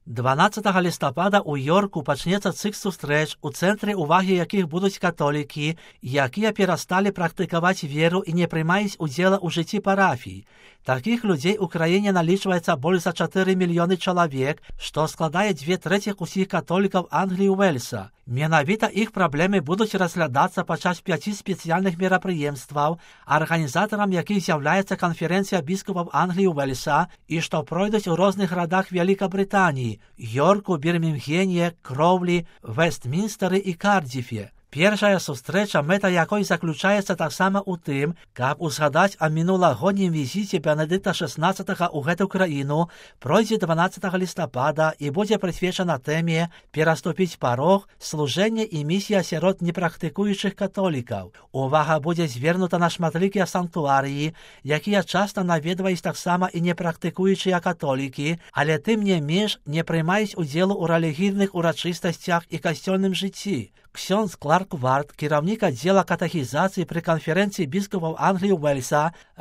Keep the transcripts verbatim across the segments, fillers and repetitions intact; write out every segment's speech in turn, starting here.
дванаццатага лістапада ў Йорку пачнецца цыкл сустрэч, у цэнтры ўвагі якіх будуць католікі, якія перасталі практыкаваць веру і не прымаюць удзела ў жыцці парафій. Такіх людзей у краіне налічваецца больш за чатыры мільёны чалавек, што складае дзве трэціх усіх католікаў Англіі і Уэльса. Менавіта іх праблемы будуць разглядацца падчас пяці спецыяльных мерапрыемстваў, арганізатарам якіх з'яўляецца канферэнцыя біскупаў Англіі і Уэльса і што пройдуць у розных гарадах Вялікабрытаніі – Йорку, Бірмінгене, Кроўлі, Вестмінстары і Кардзіфе. Першая сустрэча, мэта якой заключаецца таксама ў тым, каб узгадаць о мінулагоднім візіце Бенедыкта шаснаццатага ў гэту краіну, пройдзе дванаццатага лістапада і будзе прысвечана тэме «Пераступіць парог, служэнне і місія сярод непрактыкуючых католікаў». Увага будзе звернута на шматлікія санктуарыі, якія часта наведваюць таксама і непрактыкуючыя католікі, але тым не менш не прымаюць удзелу ў рэлігійных урачыстасцях і касцёльным жыцці. Ксёндз Кларк Варт, кіраўнік аддзела катэхізацыі пры канферэнцыі біскупаў Англіі і Уэльса,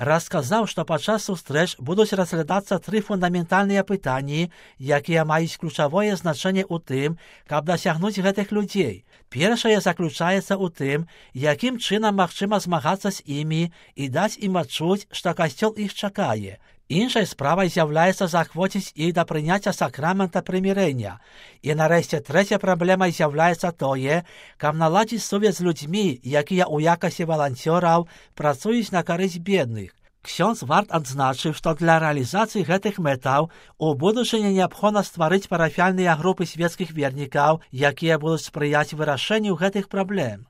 расказаў, што падчас сустрэч будуць разглядацца тры фундаментальныя пытанні, якія маюць ключавое значэнне ў тым, каб дасягнуць гэтых людзей. Першае заключаецца ў тым, якім чынам магчыма змагацца з імі і даць ім адчуць, што касцёл іх чакае. Іншай справай з'яўляецца заахвоціць іх да прыняцця сакрамента прымірэння. І нарэшце трэцяя праблемай з'яўляецца тое, каб наладзіць сувязь з людзьмі, якія ў якасці валанцёраў працуюць на карысць бедных. Ксёндз Варт адзначыў, што для рэалізацыі гэтых мэтаў у будучыні неабходна стварыць парафіяльныя групы свецкіх вернікаў, якія будуць спрыяць вырашэнню гэтых праблем.